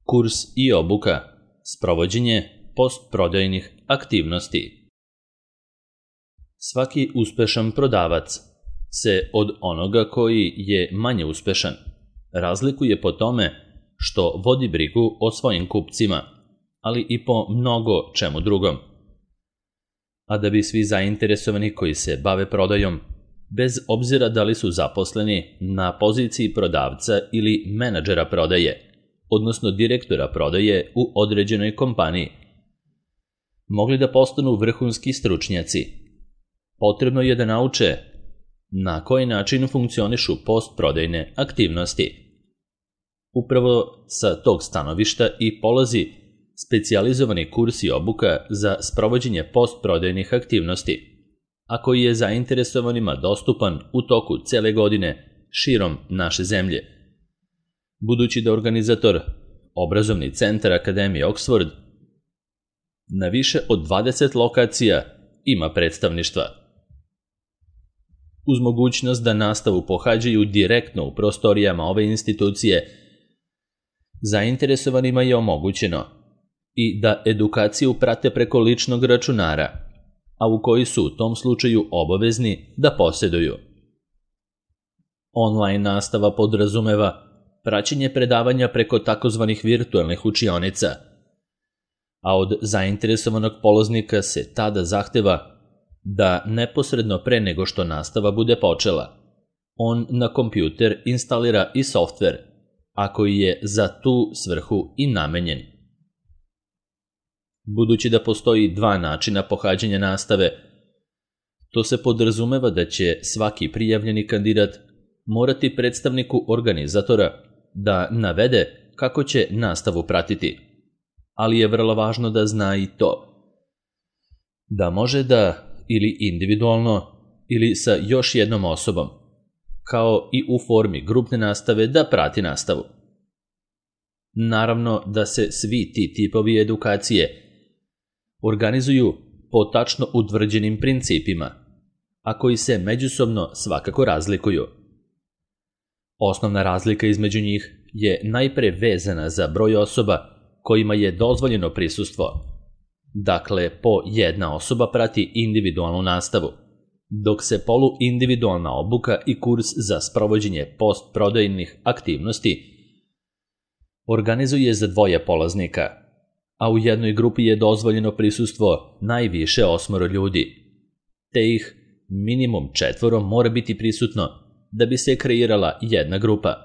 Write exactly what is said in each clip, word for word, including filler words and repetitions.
Kurs i obuka, sprovođenje postprodajnih aktivnosti. Svaki uspešan prodavac se od onoga koji je manje uspešan razlikuje po tome što vodi brigu o svojim kupcima, ali i po mnogo čemu drugom. A da bi svi zainteresovani koji se bave prodajom, bez obzira da li su zaposleni na poziciji prodavca ili menadžera prodaje, odnosno direktora prodaje u određenoj kompaniji, mogli da postanu vrhunski stručnjaci, potrebno je da nauče na koji način funkcionišu postprodajne aktivnosti. Upravo sa tog stanovišta i polazi specijalizovani kurs i obuka za sprovođenje postprodajnih aktivnosti, a koji je zainteresovanima dostupan u toku cele godine širom naše zemlje. Budući da organizator obrazovni centar Akademije Oxford na više od dvadeset lokacija ima predstavništva. Uz mogućnost da nastavu pohađaju direktno u prostorijama ove institucije, zainteresovanima je omogućeno i da edukaciju prate preko ličnog računara, a u koji su u tom slučaju obavezni da posjeduju. Online nastava podrazumeva praćenje predavanja preko takozvanih virtualnih učionica, a od zainteresovanog polaznika se tada zahteva da neposredno pre nego što nastava bude počela, on na kompjuter instalira i softver, a koji je za tu svrhu i namenjen. Budući da postoji dva načina pohađanja nastave, to se podrazumeva da će svaki prijavljeni kandidat morati predstavniku organizatora da navede kako će nastavu pratiti, ali je vrlo važno da zna i to da može da ili individualno ili sa još jednom osobom, kao i u formi grupne nastave, da prati nastavu. Naravno da se svi ti tipovi edukacije organizuju po tačno utvrđenim principima, a koji se međusobno svakako razlikuju. Osnovna razlika između njih je najpre vezana za broj osoba kojima je dozvoljeno prisustvo. Dakle, po jedna osoba prati individualnu nastavu, dok se poluindividualna obuka i kurs za sprovođenje postprodajnih aktivnosti organizuje za dvoje polaznika, a u jednoj grupi je dozvoljeno prisustvo najviše osmoro ljudi, te ih minimum četvoro mora biti prisutno da bi se kreirala jedna grupa,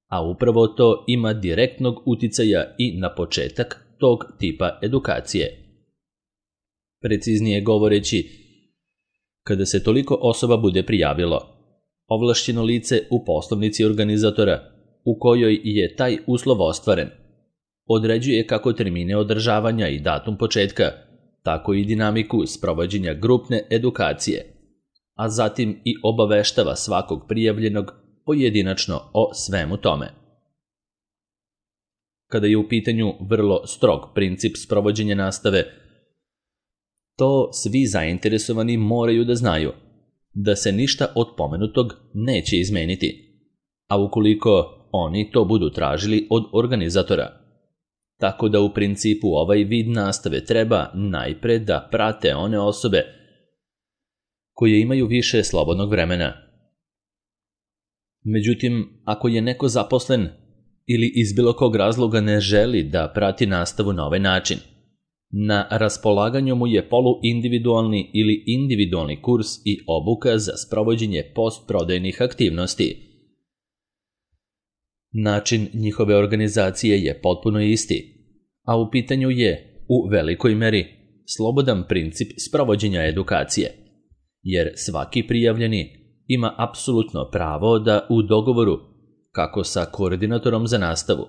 a upravo to ima direktnog uticaja i na početak tog tipa edukacije. Preciznije govoreći, kada se toliko osoba bude prijavilo, ovlašćeno lice u poslovnici organizatora u kojoj je taj uslov ostvaren određuje kako termine održavanja i datum početka, tako i dinamiku sprovođenja grupne edukacije, a zatim i obaveštava svakog prijavljenog pojedinačno o svemu tome. Kada je u pitanju vrlo strog princip sprovođenja nastave, to svi zainteresovani moraju da znaju da se ništa od pomenutog neće izmeniti, a ukoliko oni to budu tražili od organizatora. Tako da u principu ovaj vid nastave treba najpre da prate one osobe koje imaju više slobodnog vremena. Međutim, ako je neko zaposlen ili iz bilo kog razloga ne želi da prati nastavu na ovaj način, na raspolaganju mu je poluindividualni ili individualni kurs i obuka za sprovođenje postprodajnih aktivnosti. Način njihove organizacije je potpuno isti, a u pitanju je, u velikoj meri, slobodan princip sprovođenja edukacije, jer svaki prijavljeni ima apsolutno pravo da u dogovoru, kako sa koordinatorom za nastavu,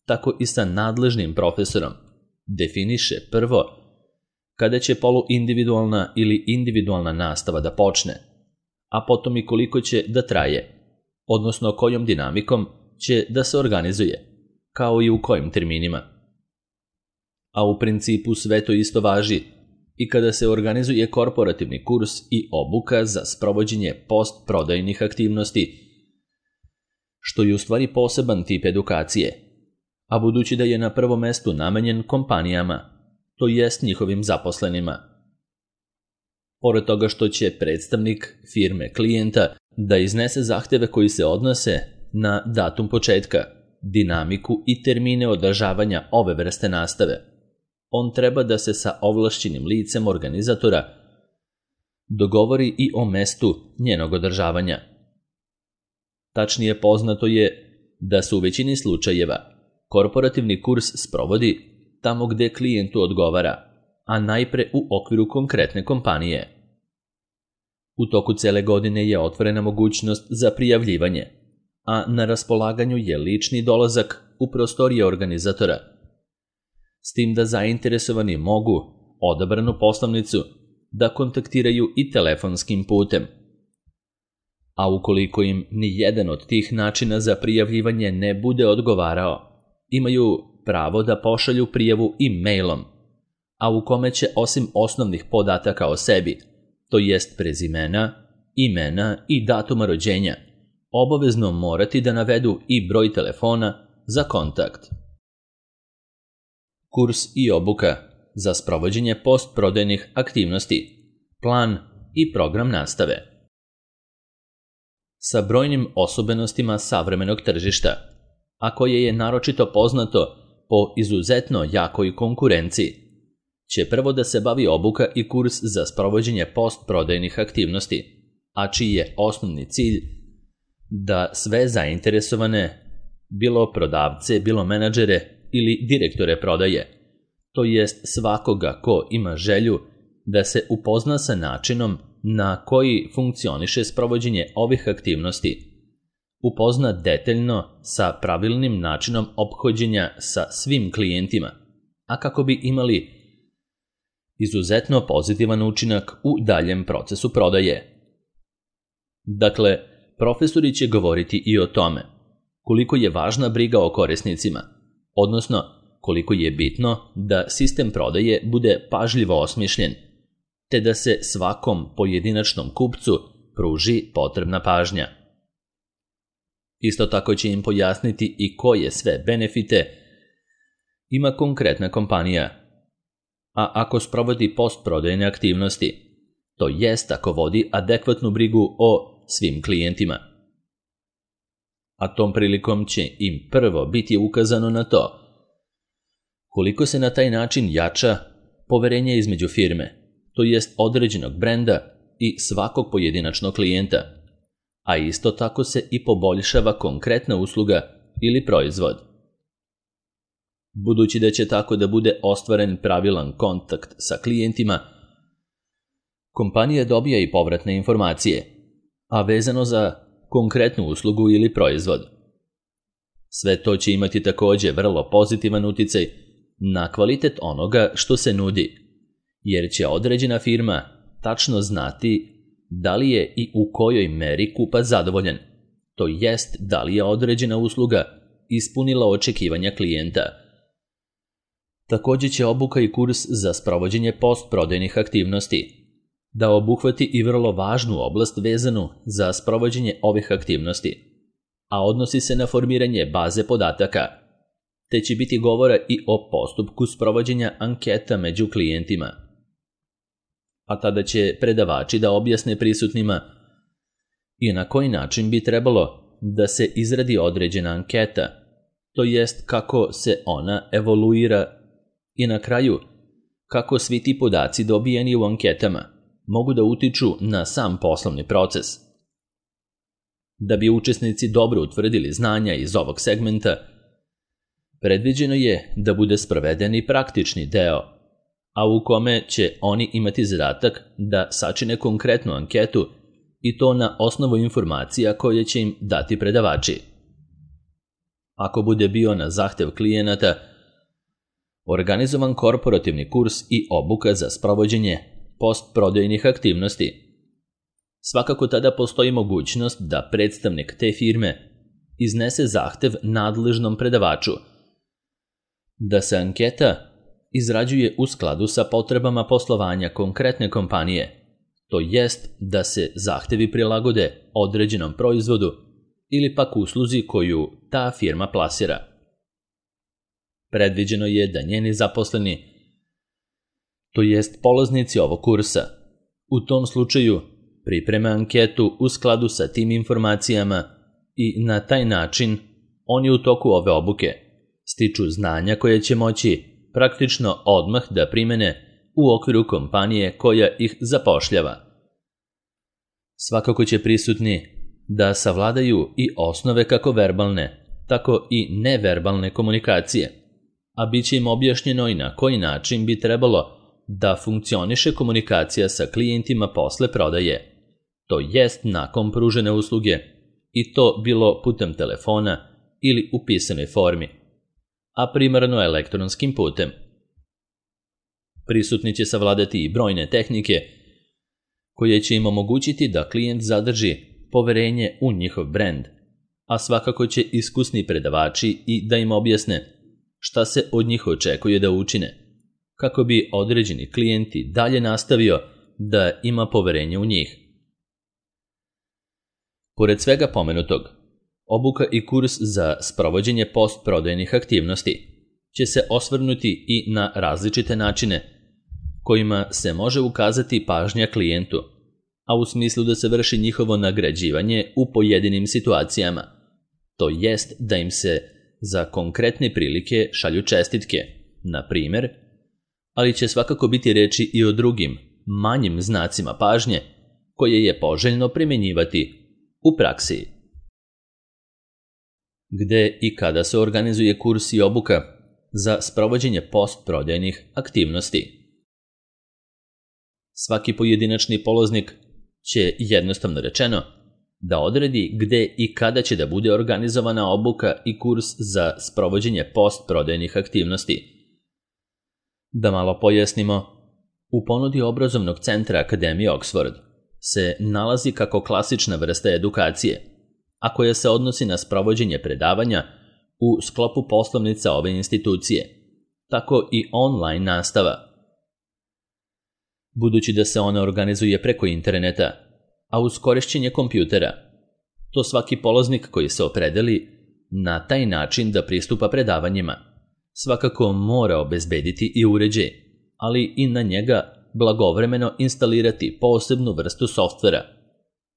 tako i sa nadležnim profesorom, definiše prvo kada će poluindividualna ili individualna nastava da počne, a potom i koliko će da traje, odnosno kojom dinamikom će da se organizuje, kao i u kojim terminima. A u principu sve to isto važi i kada se organizuje korporativni kurs i obuka za sprovođenje postprodajnih aktivnosti, što je u stvari poseban tip edukacije, a budući da je na prvom mestu namenjen kompanijama, to jest njihovim zaposlenima. Pored toga što će predstavnik firme klijenta da iznese zahteve koji se odnose na datum početka, dinamiku i termine održavanja ove vrste nastave, on treba da se sa ovlašćenim licem organizatora dogovori i o mestu njenog održavanja. Tačnije poznato je da se u većini slučajeva korporativni kurs sprovodi tamo gde klijentu odgovara, a najpre u okviru konkretne kompanije. U toku cele godine je otvorena mogućnost za prijavljivanje, a na raspolaganju je lični dolazak u prostorije organizatora, s tim da zainteresovani mogu odabranu poslovnicu da kontaktiraju i telefonskim putem. A ukoliko im ni jedan od tih načina za prijavljivanje ne bude odgovarao, imaju pravo da pošalju prijavu i mailom, a u kome će osim osnovnih podataka o sebi, to jest prezimena, imena i datuma rođenja, obavezno morati da navedu i broj telefona za kontakt. Kurs i obuka za sprovođenje postprodajnih aktivnosti, plan i program nastave. Sa brojnim osobenostima savremenog tržišta, a koje je naročito poznato po izuzetno jakoj konkurenciji, će prvo da se bavi obuka i kurs za sprovođenje postprodajnih aktivnosti, a čiji je osnovni cilj da sve zainteresovane, bilo prodavce, bilo menadžere ili direktore prodaje, to jest svakoga ko ima želju da se upozna sa načinom na koji funkcioniše sprovođenje ovih aktivnosti, upozna detaljno sa pravilnim načinom ophođenja sa svim klijentima, a kako bi imali izuzetno pozitivan učinak u daljem procesu prodaje. Dakle, profesori će govoriti i o tome koliko je važna briga o korisnicima, odnosno koliko je bitno da sistem prodaje bude pažljivo osmišljen, te da se svakom pojedinačnom kupcu pruži potrebna pažnja. Isto tako će im pojasniti i koje sve benefite ima konkretna kompanija, a ako sprovodi postprodajne aktivnosti, to jest ako vodi adekvatnu brigu o svim klijentima. A tom prilikom će im prvo biti ukazano na to koliko se na taj način jača poverenje između firme, to jest određenog brenda i svakog pojedinačnog klijenta, a isto tako se i poboljšava konkretna usluga ili proizvod. Budući da će tako da bude ostvaren pravilan kontakt sa klijentima, kompanija dobija i povratne informacije, a vezano za konkretnu uslugu ili proizvod. Sve to će imati takođe vrlo pozitivan uticaj na kvalitet onoga što se nudi, jer će određena firma tačno znati da li je i u kojoj meri kupac zadovoljan, to jest da li je određena usluga ispunila očekivanja klijenta. Takođe će obuka i kurs za sprovođenje postprodajnih aktivnosti da obuhvati i vrlo važnu oblast vezanu za sprovođenje ovih aktivnosti, a odnosi se na formiranje baze podataka, te će biti govora i o postupku sprovođenja anketa među klijentima. A tada će predavači da objasne prisutnima i na koji način bi trebalo da se izradi određena anketa, to jest kako se ona evoluira i na kraju kako svi ti podaci dobijeni u anketama mogu da utiču na sam poslovni proces. Da bi učesnici dobro utvrdili znanja iz ovog segmenta, predviđeno je da bude sproveden i praktični deo, a u kome će oni imati zadatak da sačine konkretnu anketu i to na osnovu informacija koje će im dati predavači. Ako bude bio na zahtev klijenata organizovan korporativni kurs i obuka za sprovođenje postprodajnih aktivnosti, svakako tada postoji mogućnost da predstavnik te firme iznese zahtev nadležnom predavaču da se anketa izrađuje u skladu sa potrebama poslovanja konkretne kompanije, to jest da se zahtevi prilagode određenom proizvodu ili pak usluzi koju ta firma plasira. Predviđeno je da njeni zaposleni, to jest polaznici ovog kursa, u tom slučaju pripreme anketu u skladu sa tim informacijama i na taj način oni u toku ove obuke stiču znanja koje će moći praktično odmah da primene u okviru kompanije koja ih zapošljava. Svakako će prisutni da savladaju i osnove kako verbalne, tako i neverbalne komunikacije, a bit će im objašnjeno i na koji način bi trebalo da funkcioniše komunikacija sa klijentima posle prodaje, to jest nakon pružene usluge, i to bilo putem telefona ili u pisanoj formi, a primarno elektronskim putem. Prisutni će savladati i brojne tehnike koje će im omogućiti da klijent zadrži poverenje u njihov brend, a svakako će iskusni predavači i da im objasne šta se od njih očekuje da učine, kako bi određeni klijenti dalje nastavio da ima poverenje u njih. Pored svega pomenutog, obuka i kurs za sprovođenje postprodajnih aktivnosti će se osvrnuti i na različite načine kojima se može ukazati pažnja klijentu, a u smislu da se vrši njihovo nagrađivanje u pojedinim situacijama, to jest da im se za konkretne prilike šalju čestitke, na primjer, ali će svakako biti reči i o drugim, manjim znacima pažnje koje je poželjno primjenjivati u praksi. Gde i kada se organizuje kurs i obuka za sprovođenje postprodajnih aktivnosti? Svaki pojedinačni polaznik će, jednostavno rečeno, da odredi gde i kada će da bude organizovana obuka i kurs za sprovođenje postprodajnih aktivnosti. Da malo pojasnimo, u ponudi obrazovnog centra Akademije Oxford se nalazi kako klasična vrsta edukacije, a koja se odnosi na sprovođenje predavanja u sklopu poslovnica ove institucije, tako i online nastava. Budući da se ona organizuje preko interneta, a uz korišćenje kompjutera, to svaki polaznik koji se opredeli na taj način da pristupa predavanjima svakako mora obezbediti i uređaj, ali i na njega blagovremeno instalirati posebnu vrstu softvera,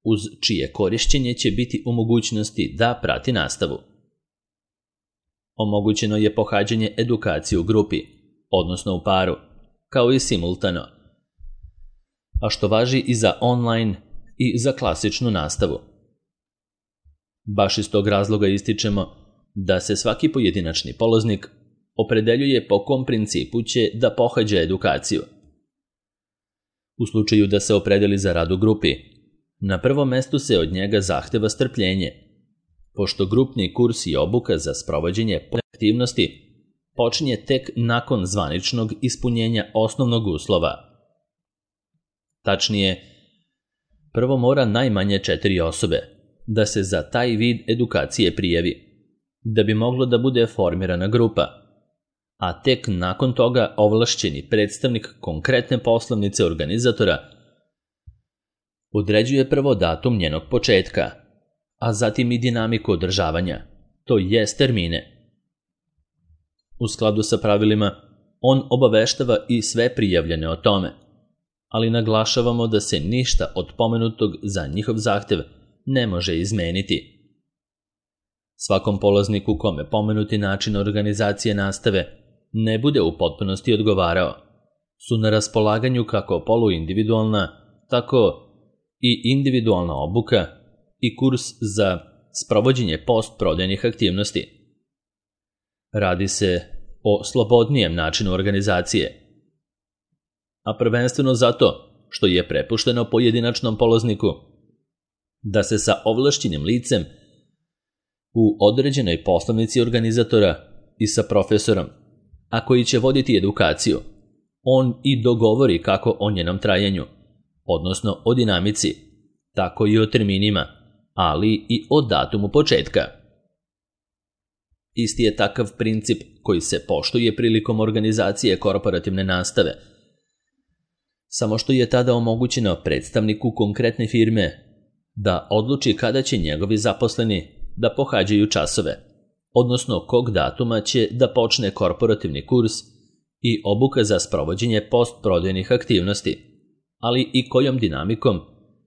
uz čije korišćenje će biti u mogućnosti da prati nastavu. Omogućeno je pohađanje edukacije u grupi, odnosno u paru, kao i simultano, a što važi i za online i za klasičnu nastavu. Baš iz tog razloga ističemo da se svaki pojedinačni polaznik opredeljuje po kom principu će da pohađa edukaciju. U slučaju da se opredeli za rad u grupi, na prvom mestu se od njega zahteva strpljenje, pošto grupni kurs i obuka za sprovođenje aktivnosti počinje tek nakon zvaničnog ispunjenja osnovnog uslova. Tačnije, prvo mora najmanje četiri osobe da se za taj vid edukacije prijavi, da bi moglo da bude formirana grupa, a tek nakon toga ovlašćeni predstavnik konkretne poslovnice organizatora određuje prvo datum njenog početka, a zatim i dinamiku održavanja, to jest termine. U skladu sa pravilima, on obaveštava i sve prijavljene o tome, ali naglašavamo da se ništa od pomenutog za njihov zahtev ne može izmeniti. Svakom polazniku kome pomenuti način organizacije nastave ne bude u potpunosti odgovarao, su na raspolaganju kako poluindividualna, tako i individualna obuka i kurs za sprovođenje postprodajnih aktivnosti. Radi se o slobodnijem načinu organizacije, a prvenstveno zato što je prepušteno pojedinačnom polazniku da se sa ovlašćenim licem u određenoj poslovnici organizatora i sa profesorom, a koji će voditi edukaciju, on i dogovori kako o njenom trajanju, odnosno o dinamici, tako i o terminima, ali i o datumu početka. Isti je takav princip koji se poštuje prilikom organizacije korporativne nastave, samo što je tada omogućeno predstavniku konkretne firme da odluči kada će njegovi zaposleni da pohađaju časove, odnosno kog datuma će da počne korporativni kurs i obuka za sprovođenje postprodajnih aktivnosti, ali i kojom dinamikom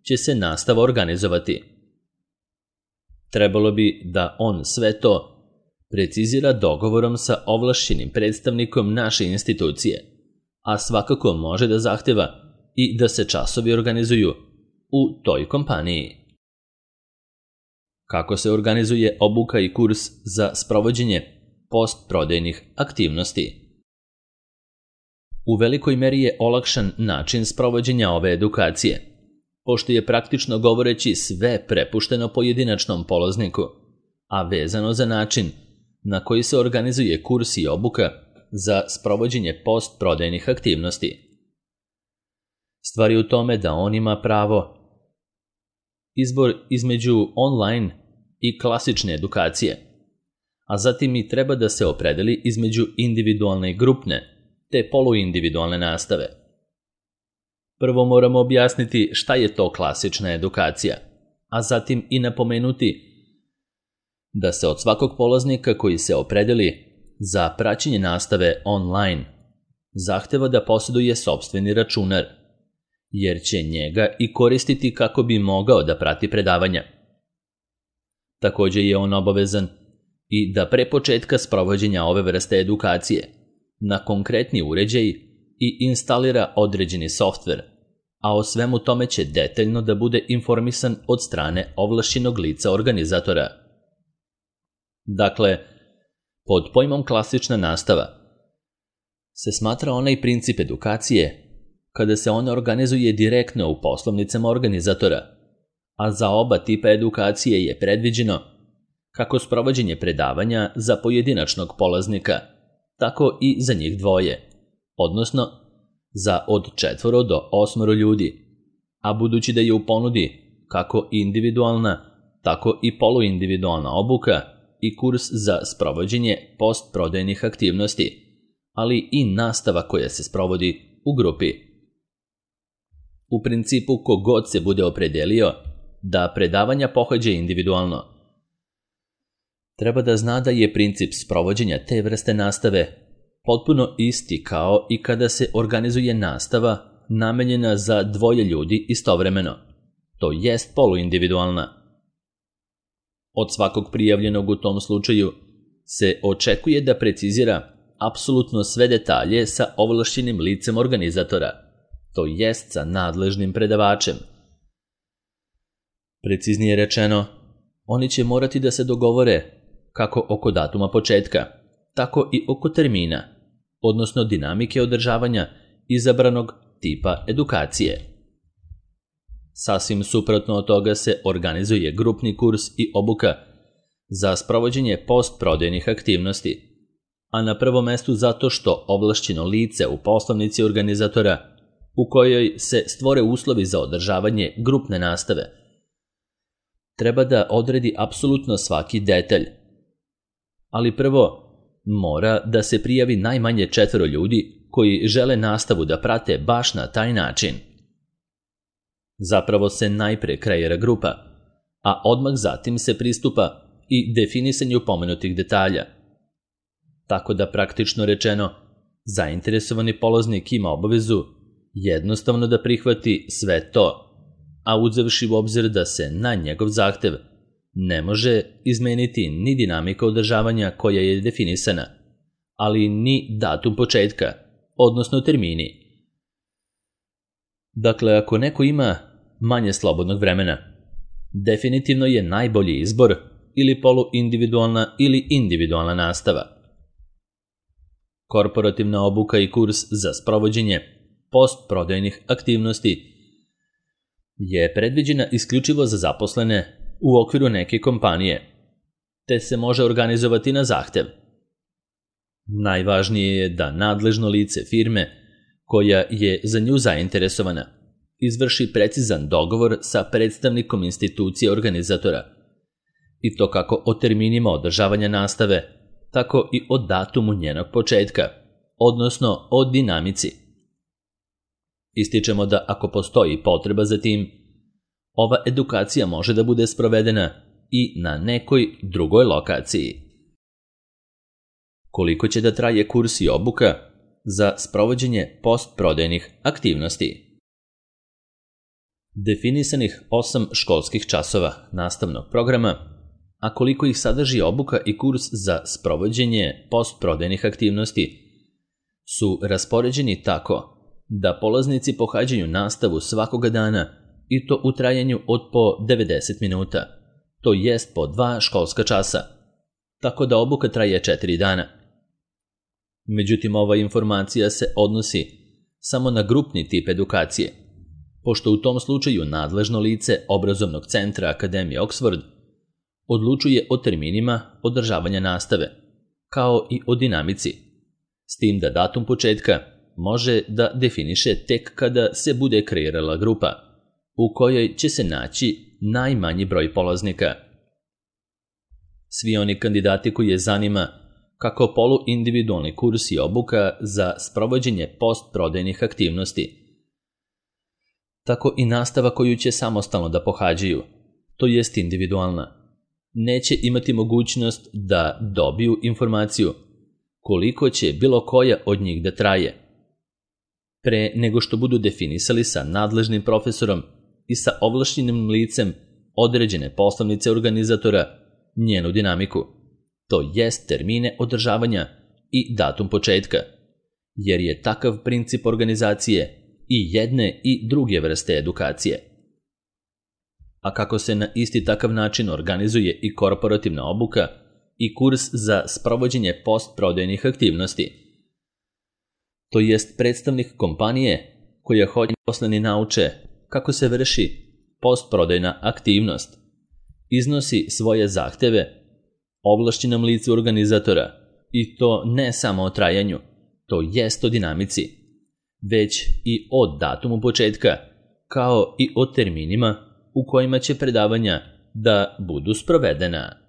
će se nastava organizovati. Trebalo bi da on sve to precizira dogovorom sa ovlašćenim predstavnikom naše institucije, a svakako može da zahteva i da se časovi organizuju u toj kompaniji. Kako se organizuje obuka i kurs za sprovođenje postprodajnih aktivnosti? U velikoj meri je olakšan način sprovođenja ove edukacije, pošto je praktično govoreći sve prepušteno pojedinačnom polazniku, a vezano za način na koji se organizuje kurs i obuka za sprovođenje postprodajnih aktivnosti. Stvar je u tome da on ima pravo izbor između online i klasične edukacije, a zatim i treba da se opredeli između individualne i grupne te poluindividualne nastave. Prvo moramo objasniti šta je to klasična edukacija, a zatim i napomenuti da se od svakog polaznika koji se opredeli za praćenje nastave online zahteva da posjeduje sopstveni računar, jer će njega i koristiti kako bi mogao da prati predavanja. Također je on obavezan i da pre početka sprovođenja ove vrste edukacije na konkretni uređaj i instalira određeni softver, a o svemu tome će detaljno da bude informisan od strane ovlašćenog lica organizatora. Dakle, pod pojmom klasična nastava se smatra onaj princip edukacije kada se ona organizuje direktno u poslovnicama organizatora, a za oba tipa edukacije je predviđeno kako sprovođenje predavanja za pojedinačnog polaznika, tako i za njih dvoje, odnosno za od četvoro do osmoro ljudi, a budući da je u ponudi kako individualna, tako i poluindividualna obuka i kurs za sprovođenje postprodajnih aktivnosti, ali i nastava koja se sprovodi u grupi. U principu, kogod se bude opredelio da predavanja pohađa individualno, treba da zna da je princip sprovođenja te vrste nastave potpuno isti kao i kada se organizuje nastava namenjena za dvoje ljudi istovremeno, to jest poluindividualna. Od svakog prijavljenog u tom slučaju se očekuje da precizira apsolutno sve detalje sa ovlašćenim licem organizatora, to jest sa nadležnim predavačem. Preciznije rečeno, oni će morati da se dogovore kako oko datuma početka, tako i oko termina, odnosno dinamike održavanja izabranog tipa edukacije. Sasvim suprotno od toga se organizuje grupni kurs i obuka za sprovođenje postprodajnih aktivnosti, a na prvom mestu zato što ovlašćeno lice u poslovnici organizatora u kojoj se stvore uslovi za održavanje grupne nastave treba da odredi apsolutno svaki detalj. Ali prvo mora da se prijavi najmanje četvero ljudi koji žele nastavu da prate baš na taj način. Zapravo se najpre kreira grupa, a odmah zatim se pristupa i definisanju pomenutih detalja. Tako da praktično rečeno, zainteresovani polaznik ima obavezu jednostavno da prihvati sve to, a uzevši u obzir da se na njegov zahtev ne može izmeniti ni dinamika održavanja koja je definisana, ali ni datum početka, odnosno termini. Dakle, ako neko ima manje slobodnog vremena, definitivno je najbolji izbor ili poluindividualna ili individualna nastava. Korporativna obuka i kurs za sprovođenje postprodajnih aktivnosti je predviđena isključivo za zaposlene u okviru neke kompanije, te se može organizovati na zahtev. Najvažnije je da nadležno lice firme koja je za nju zainteresovana izvrši precizan dogovor sa predstavnikom institucije organizatora, i to kako o terminima održavanja nastave, tako i o datumu njenog početka, odnosno o dinamici. Ističemo da ako postoji potreba za tim, ova edukacija može da bude sprovedena i na nekoj drugoj lokaciji. koliko će da traje kurs i obuka za sprovođenje postprodajnih aktivnosti. Definisanih osam školskih časova nastavnog programa, a koliko ih sadrži obuka i kurs za sprovođenje postprodajnih aktivnosti, su raspoređeni tako da polaznici pohađaju nastavu svakoga dana i to u trajanju od po devedeset minuta, to jest po dva školska časa, tako da obuka traje četiri dana. Međutim, ova informacija se odnosi samo na grupni tip edukacije, pošto u tom slučaju nadležno lice obrazovnog centra Akademije Oxford odlučuje o terminima održavanja nastave, kao i o dinamici, s tim da datum početka može da definiše tek kada se bude kreirala grupa, u kojoj će se naći najmanji broj polaznika. Svi oni kandidati koji je zanima kako poluindividualni kurs i obuka za sprovođenje postprodajnih aktivnosti, tako i nastava koju će samostalno da pohađaju, to jest individualna, neće imati mogućnost da dobiju informaciju koliko će bilo koja od njih da traje, pre nego što budu definisali sa nadležnim profesorom i sa ovlašćenim licem određene poslovnice organizatora njenu dinamiku, to jest termine održavanja i datum početka, jer je takav princip organizacije i jedne i druge vrste edukacije. A kako se na isti takav način organizuje i korporativna obuka i kurs za sprovođenje postprodajnih aktivnosti, to jest predstavnik kompanije koja hoće poslani nauče kako se vrši postprodajna aktivnost, iznosi svoje zahteve ovlašćenom licu organizatora i to ne samo o trajanju, to jest o dinamici, već i o datumu početka, kao i o terminima u kojima će predavanja da budu sprovedena.